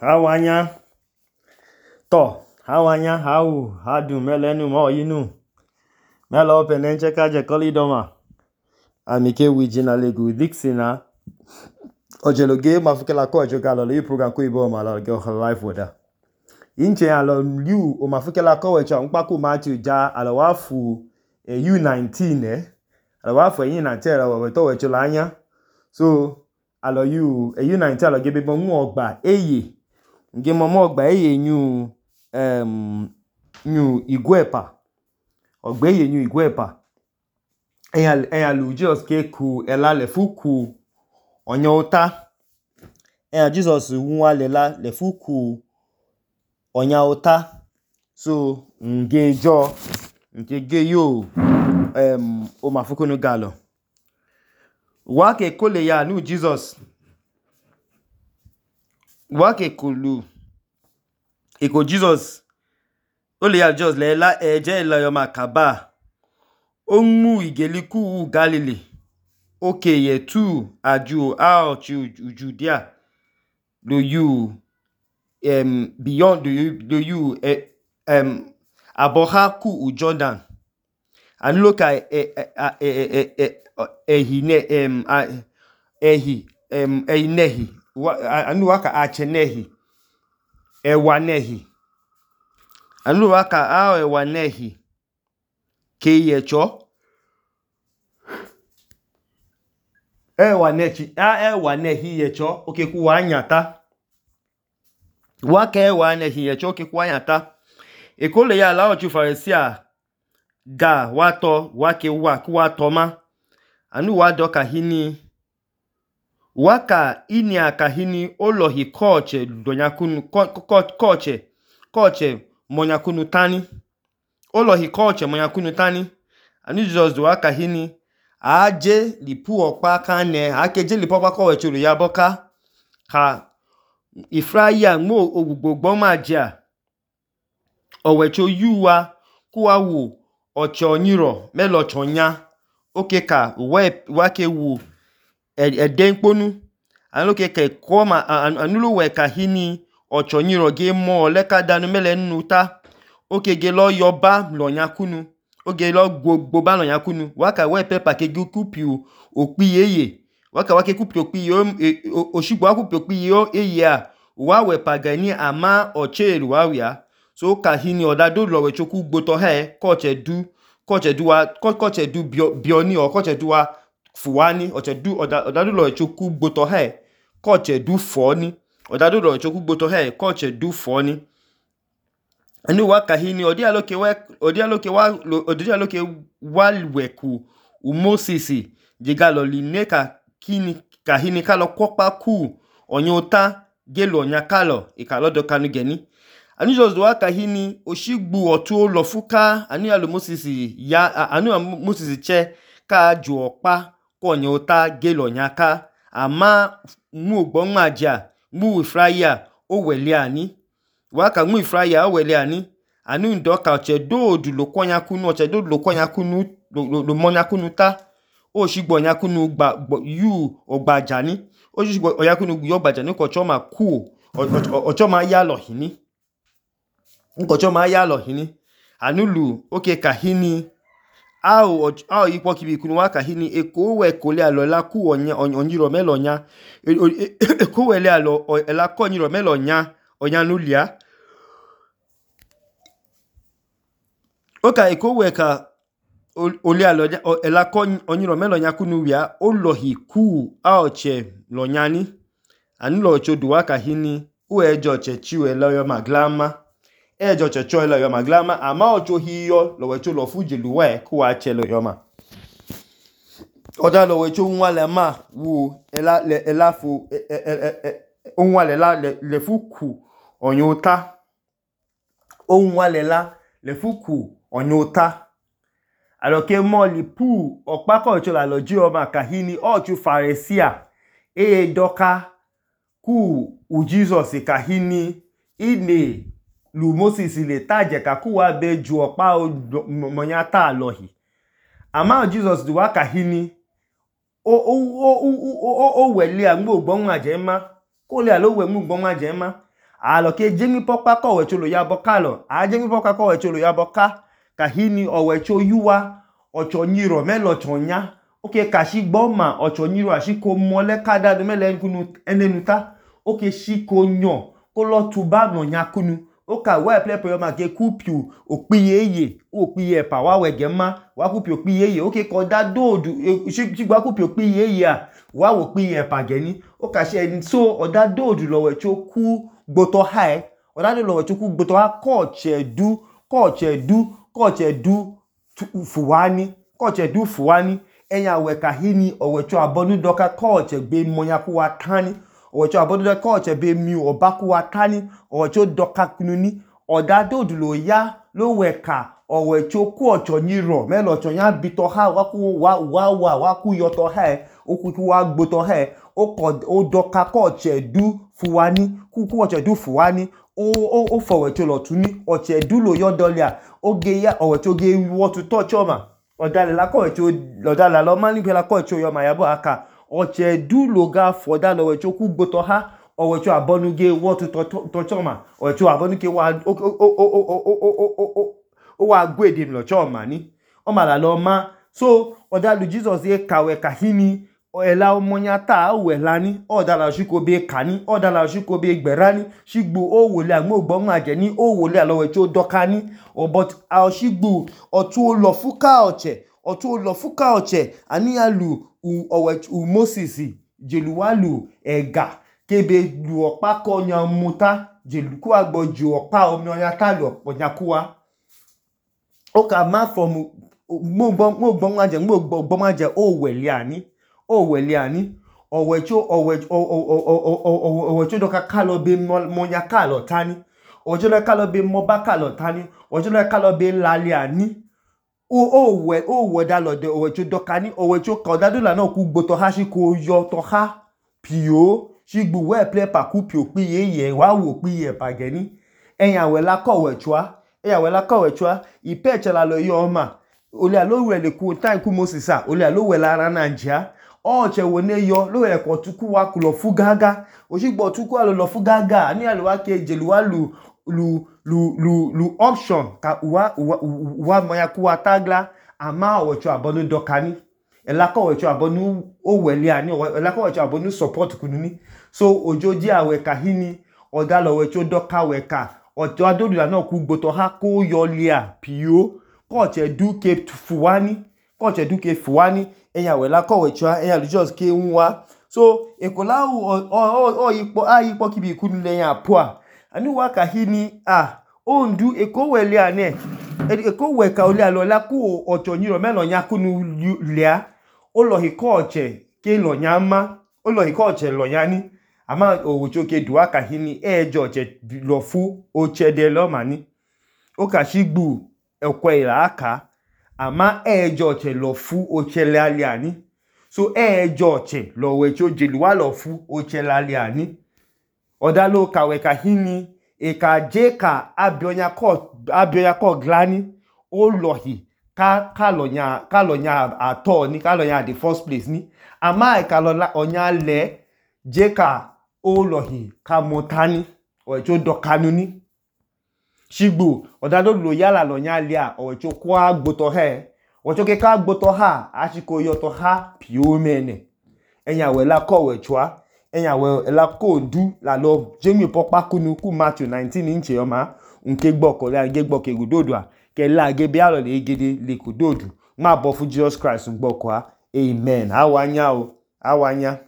Hawanya to hawanya hadu melenu mo yinu melo penenche kaje kolidoma amike wijina legu dixina ojeloge mafukela ko ejogalo le program ko ibo ma la go live weather inche alo liu o mafukela ko wecha npaku Matthew ja alo wafu U19 alo wafu U19 alo weto wechola anya so alo U19 alo gebe bo mu ogba eye nge momo ogba eye nyu igwepa ogba eye nyu igwepa eya lu Jesus ke ku ela le fuku onyota Jesus nwa lela le fuku onyota so nke ge yo o mafuku no galo wa ke kole ya nu Jesus wake kulu iko Jesus ole ya just le la eje la yo makaba omu igeliku Galilee okeye tu aju Judea do you beyond do you aboha ku Jordan and look at nehi anu waka achenehi ewanehi anu waka ewanehi keyecho ewanehi yecho okeku wanyata waka ewanehi yecho okeku wanyata ekole ya la ochu Pharisee ga wato wake watoma anu wadoka hini waka ini akahini olohi koche donyakunu koche monyakunu tani olohi koche monyakunu tani ani Jesus do waka hini aje lipu okpa kane akeje lipu okpa ko wechuru ya boka ka ifraya mo ogbugbo maja owecho yuwa kuwa wu ocho nyiro melo chonya okeka wake wu edenkponu anuke ke koma anulu we kahini ochonyiro ge mo leka danu mele nuta okege lo yoba lo nyakunu oge lo gbogbo ba lo nyakunu waka we pepa ke gukupiu okpiyeye waka kupi okpiyo oshigbo kupi okpiyo eya wa we pagani ama ocheru wawia so kahini odado lo we choku gboto he koche du bioni o koche duwa fuwani odadu lo choku gboto he koche du foni odadu lo choku gboto he koche du foni anu waka hini odialoke walweku Moses jigalo lineka kini kahini kalo kokpa ku onyota gelo nyakalo ikalodo kanu geni anu just waka hini oshigbu otu lo fuka anu ya lo Moses che ka ju okpa onyota gelo nyaka ama mu ogbonmaja mu ifraya oweliani waka mu ifraya oweliani anu ndoka ochedodu lo kwanyakunu lo monyakunu ta oshigbo nyakunu yu ogbajani oshigbo oyakunu yu ogbajani ko choma ku ochoma yalo hini nkochoma yalo hini anulu oke kahini ao ikwo kibikunu waka hini eko we kole alo la ku onyiro melonya eko we le alo ela ko onyiro melonya onyanulia oka eko we ka ole alo ela ko onyiro melonya kunuwia olohi ku aoche lonyani anulo chodu waka hini uejo chechiwe lo maglama ejo checho lo maglama ama ocho hiyo lo wecho lo fujelu we ku ache lo yoma oda lo wecho nwale ma wu ela fu onwale la le fuku onyota onwale la le fuku onyota aloke mo lipu okpako ocho la lo ji o makahini ochu Pharisee doka ku Jesus kahini ine lu Moses le taje ka kuwa be ju opa monyata alohi ama Jesus du waka hini o wele agbo gbonwa jema ko le alo we mu gbonwa jema alo ke jemi pokpa ko owecho lo ya boka lo a jemi pokpa ko owecho lo ya boka kahini owecho yuwa ocho nyiro melo ocho nya oke kashi gboma ocho nyiro ashiko mole kada do mele nkunu enenuta oke shiko nyo ko lo tuba no nya kunu oka we plepe yo ma ke kupiu okpiyeye okpiye pa wa wegema wa kupiu okpiyeye oke ko da dodu shigba kupiu okpiyeye a wa wo okpiye pa geni oka she so oda dodu lo wecho ku gboto hai oda do lo wecho ku gboto ha ko chedu fuwani enya we kahini owecho abonu doka ko chegbe monya ku wa tani owecho abonu doka ko chegbe mi obaku wa tani owecho doka kununi oda dodu lo ya lo weka owecho ku ocho nyiro melo ocho nya bito ha wa ku yoto ha oku wa gboto ha o doka ko chedu fuwani ku ochedu fuwani o fowecho lo tuni ochedu lo yodolia oge ya owecho ge wotu touch oma odale la ko wecho odale lo mani pe la ko wecho yo ma yabo aka ochedu lo ga foda lo wecho ku gboto ha owecho abonu ge wotu touch oma owecho abonu ke wa o wa gwede lo choma ni o ma la lo ma so odalu Jesus ye kawe kahini ela omonya ta we lani odala shiko be kani odala shiko be gberani shigbo o wole agmo gbon aje ni o wole alowe tí ó dokani but a shigbo otu lo fuka oche ani alu Moses jeluwalu ega kebe lu opa ko nya muta jeluku agboju opa omi onya ta lu onyakuwa oka ma from mo gbon aje o wele ani owecho doka kalo be monya kalo tani owecho doka kalo be moba kalo tani owecho doka kalo be lali ani o da lo de owecho doka ni owecho kodadu la na ku gboto ha shi ko yo to ha pio shigbu we play pa ku pio piye wa wo piye pa geni eyan we la ko wechwa ipe chela lo yo ma ole alo we le ku time ku Moses a ole alo we la rana nja o che wo ne yo lo we ko tuku wa ku lo fugaga o shigbo tuku alo lo fugaga ani alo wa ke jeluwa lu option ka wa moya ku wa tagla ama owecho abonu dokani elako owecho abonu o wele ani elako owecho abonu support kununi so ojoji awe kahini odalo owecho doka weka ojo adodu la na ku gboto ha ko yo lia pio ko che duke fuwani eyan we la ko wecho eyan lu just ke nwa so ekola o ipo kibi kunu le yan apoa ani wa kahini ondu eko wele ane eko weka ole alola ku ocho nyiro melo nya kunu lia o lo hikoche ke lo nyama o lo hikoche lo yani ama owocho ke duwa kahini ejo che lo fu o chede lo mani o ka shigbu ekwe ila aka ama ejo che lo fu o chele ali ani so ejo che lo wecho jeluwa lo fu o chele ali ani odalo kawe kahini eka jeka abionya ko glani o lohi ka lo nya ato ni ka lo nya the first place ni ama eka lo onya le jeka o lohi ka motani owecho dokanu ni shigbo odalo lo yala lo nya lia owecho kwa gboto he owecho ke ka gboto ha ashiko yoto ha pio mene enya we la ko wechwa enya we la ko ndu la lo jemi pokpa kunu ku Matthew 19 inche oma nke gboko la ge gboke gudodu a ke la ge bi alo le gede le kudodu ma bo fu Jesus Christ gboko a amen awanya.